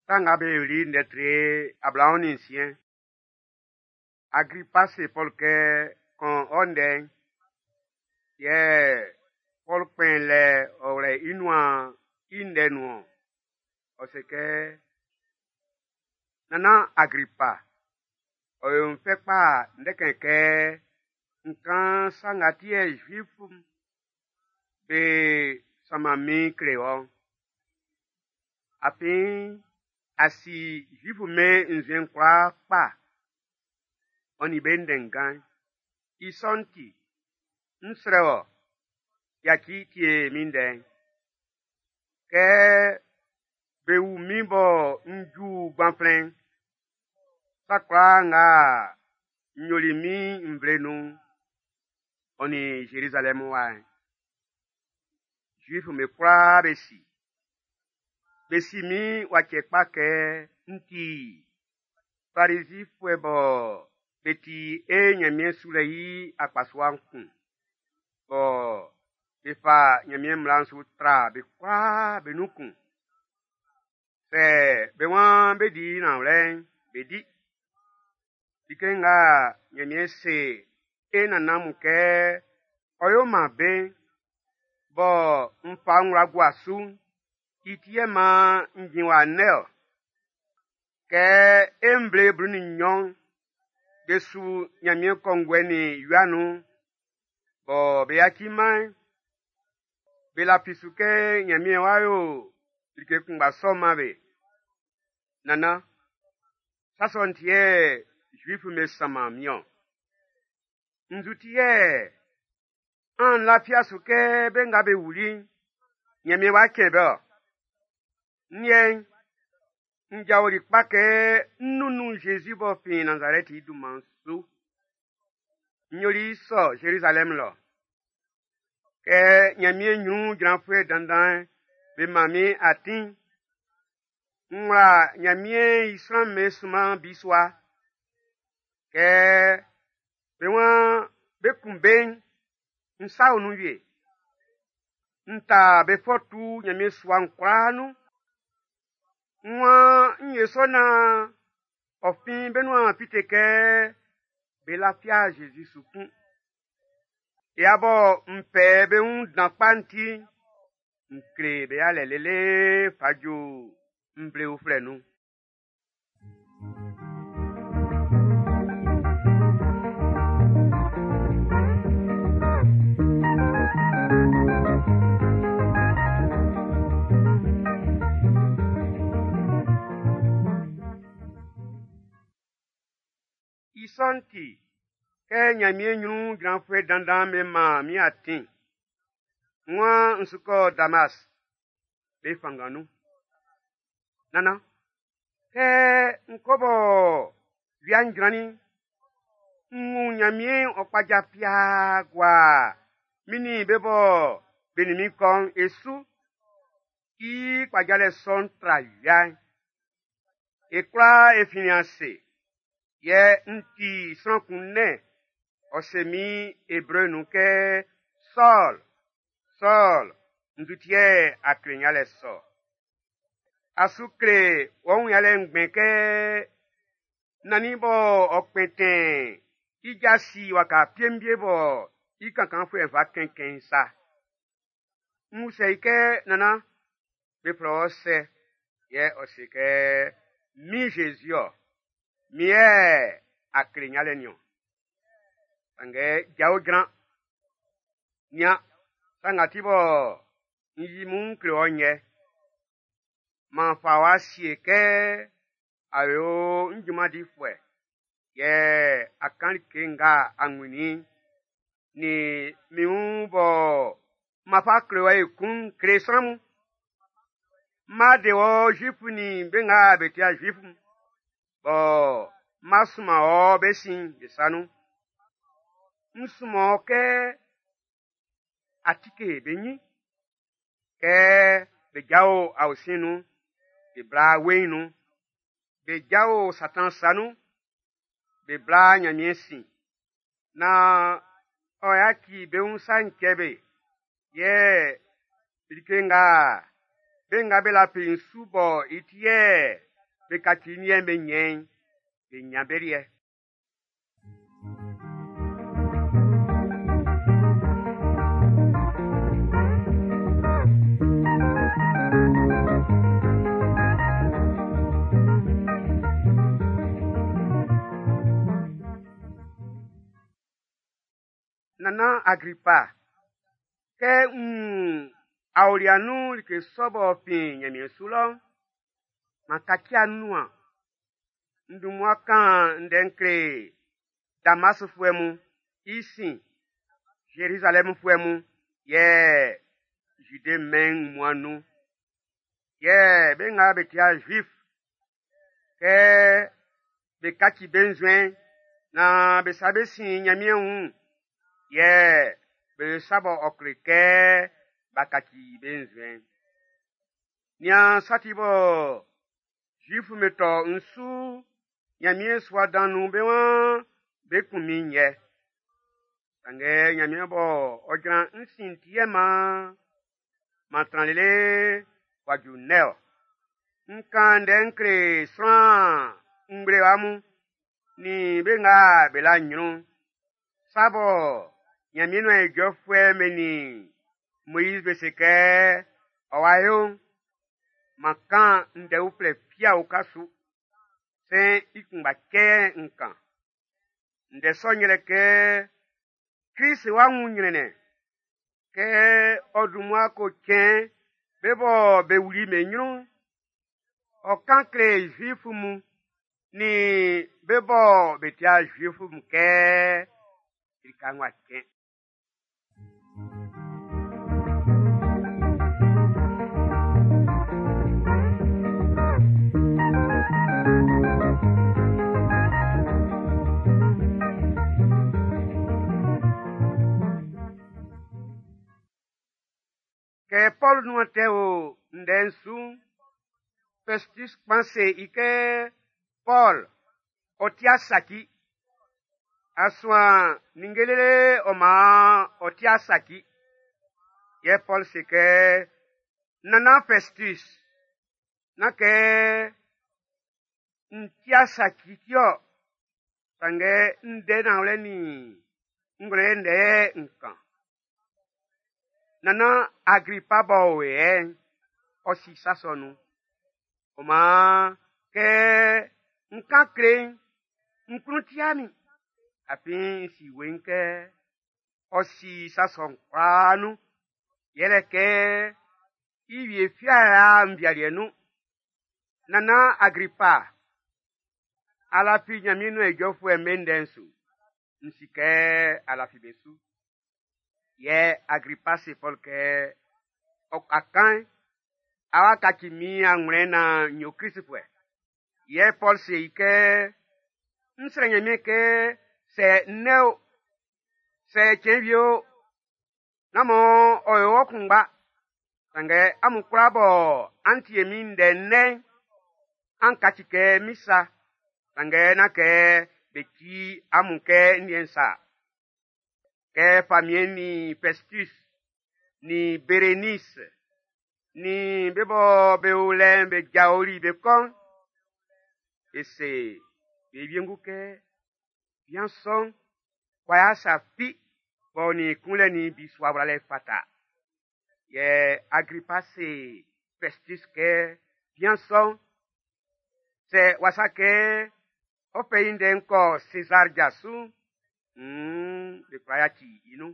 Sa Nga Be Yoli'n ndɛ tre 26. Agripa se Pɔlu kɛ, Kan ɔ ndɛ'n. Yɛ Pɔlu kpɛn lɛ ɔ wlɛ i nuan i ndɛ nun-ɔn. Ɔ se kɛ, Nannan Agripa, ɔ yo n fɛ kpa ndɛkɛn kɛ n kan sa nga ti yɛ Zuif'm be sanman min'n kle wɔ. Afin a si Zuif'm be nzuɛn'n kwlaa kpa, ɔ nin be ndɛnngan'n. I sɔ'n ti, n ʼsrɛ wɔ, yaci tie min ndɛ'n. Kɛ be ʼwu min bɔ n ju gbanflɛn'n, sa kwlaa nga n yoli min nvle nun'n, ɔ nin Zerizalɛm wa'n, Zuif'm be kwlaa be si. Be si min wa cɛ kpa kɛ n ti Farizifuɛ bɔ be ti e Nyanmiɛn sulɛ i akpasua'n kun, bɔ be fa Nyanmiɛn mmla'n su tra be kwlaa be nun kun. Sɛ be waan be di nanwlɛ'n, be di. Like nga Nyanmiɛn se e nannan mun kɛ ɔ ʼyo man be'n, bɔ n fa ń wla gua su'n, i ti yɛ man n jin wa ndɛ-ɔ. Kɛ e nvle 12 be su Nyanmiɛn kɔnguɛ nin wia nun'n, bɔ be yaci-man'n, be lafi su kɛ Nyanmiɛn w'a yo like kunngba sɔ'n man be. Nannan, sa sɔ'n ti yɛ Zuif'm be sanman min-ɔn. Nzu ti yɛ an lafia su kɛ be nga be wuli'n, Nyanmiɛn w'a cɛn be-ɔ? N liɛ'n, n jaoli kpa kɛ n nunnun Jésus b'ɔ fin Nazarɛt i dunman'n su. N yoli i sɔ Zerizalɛm lɔ. Kɛ Nyanmiɛn nyrun jranfuɛ dandan'n be man min atin, n wla Nyanmiɛn i sran'm be sunman bisua. Kɛ be waan be kun be'n, n sa o nun wie. N ta be fɔ tu Nyanmiɛn sua'n kwlaa nun. N waan n ye sɔ nan ɔ fin be nuan fite kɛ be lafia Jésus su kun. Ya bɔ n fɛ be wun dan kpa'n ti'n, n kle be yalɛ lele fa ju nvle uflɛ nun. I sɔ'n ti, kɛ Nyanmiɛn nyrun jranfuɛ dandan'm be man min atin, n waan n su kɔ Damas, be fanngan nun. Nannan, kɛ n kɔ bɔ wia'n jrannin'n, n wun Nyanmiɛn'n ɔ kpaja piaa gua min nin be bɔ be nin min kɔ'n e su. I kpajalɛ sɔ'n tra wia'n. E kwlaa e finnin ase, yɛ n ti sran kun nɛn, ɔ se min Ebre nun kɛ, Sɔl, Sɔl, nzu ti yɛ a kle yalɛ sɔ? A su kle wɔ wun yalɛ ngbɛn kɛ nannin bɔ ɔ kpɛntɛn i ja si waka piembie bɔ i kankanfuɛ'n fa kɛnkɛn sa. N usɛ i kɛ, Nannan, be flɛ wɔ sɛ? Yɛ ɔ se kɛ, Min Jésus-ɔ, min yɛ a kle yalɛ nin-ɔn. Sanngɛ jao jran. Nian, sa nga ti bɔ n yi mun kle wɔ yɛ. M'an fa wɔ sie kɛ a yo n junman difuɛ, yɛ a kan like nga a wunnin nin min wun bɔ ma fa kle wɔ ekun kle sran mun. Ma de wɔ Zuif nin be nga be tia Zuif'n, bɔ ma sunman wɔ be sin be sa nun. N sunman wɔ kɛ a tike be nyin, kɛ be jao aosin nun, be bla weiin nun, be jao Satan sa nun, be bla Nyanmiɛn sin, nan ɔ yaci be wun sa'n cɛ be, yɛ like nga be nga be lafi n su bɔ i ti yɛ be kaci nzuɛn'n be ɲɛn i'n, be ɲan be liɛ. Nannan Agripa, kɛ n wun aolia nun like sɔ b'ɔ fin nyanmiɛn su lɔ'n, m'an kaci-man ń nuan. N dun mmua kan ndɛ n kle Damasfuɛ mun, i sin Zerizalɛmfuɛ mun, yɛ Zide mɛn'n wunmuan'n nun. Yɛ be nga be ti'a Zuif, kɛ be kaci be nzuɛn'n nan be sa bé sin Nyanmiɛn wun, yɛ be yo sa bɔ ɔ kle kɛ b'a kaci be nzuɛn'n. Nian sa ti bɔ Zuif'm be tɔ n su Nyanmiɛn sua dan nun be waan be ʼkun min'n yɛ. Sanngɛ Nyanmiɛn bɔ ɔ jran ń sin'n ti yɛ man m'an tran lele w'a ju ndɛ-ɔ. N kan ndɛ n kle sran ngblewa mun nin be nga be la nyrun'n. Sa bɔ Nyanmiɛn nuan ijɔfuɛ'm be nin Moiz be se kɛ ɔ wa yo'n, m'an kan ndɛ uflɛ fi a uka su. Sɛn i kunngba cɛ n kan. Ndɛ sɔ'n yɛlɛ kɛ Krist wa wun nyrɛnnɛn, kɛ ɔ dun mmua ko cɛn be bɔ be wuli be nyrun'n, ɔ kan kle Zuif mun nin be bɔ be ti'a Zuif mun kɛ lika'n wa cɛn. Kɛ Pɔl nuan tɛ o ndɛ'n su'n, Fɛstis kpan se i kɛ, Pɔl, ɔ ti'a saci. A suan ninnge lele ɔ man ɔ ti'a saci. Yɛ Pɔl se kɛ, Nannan Fɛstis, nán kɛ n ti'a saci ti-ɔ, sanngɛ ndɛ nanwlɛ nin ngwlɛlɛ ndɛ yɛ n kan. Nannan Agripa b'ɔ o yɛ'n, ɔ si sa sɔ nun. Ɔ maan kɛ n kan kle i'n, n klun ti'a min, afin n si weiin kɛ ɔ si sa sɔ'n kwlaa nun, yɛlɛ kɛ i wie fiala nvialiɛ nun. Nannan Agripa, a lafi Nyanmiɛn nuan ijɔfuɛ'm be ndɛ'n su? N si kɛ a lafi be su. Yɛ Agripa se Pɔl kɛ, ɔ ka kan'n, a wa kaci min anwlɛn nan n yo Kristfuɛ. Yɛ Pɔl se i kɛ, n srɛ Nyanmiɛn kɛ sɛ nnɛ o, sɛ cɛn wie o, nán mɔ ɔ yo wɔ kunngba, sanngɛ amun kwlaa bɔ an tie min ndɛ nnɛ'n, an kaci kɛ min sa, sanngɛ nán kɛ be ti amun kɛ n liɛ'n sa. Kɛ famiɛn'n nin Fɛstus, nin Berenis, nin be bɔ be o lɛ'n be jaoli be kɔ'n, be se be wiengu kɛ, bian sɔ'n, w'a ya sa fi b'ɔ nin kunlɛ nin bisua wlalɛ fata. Yɛ Agripa se Fɛstus kɛ, bian sɔ'n, sɛ wasa kɛ ɔ fɛ i ndɛ'n kɔ Sezar ja su'n, be kwla yaci i nun.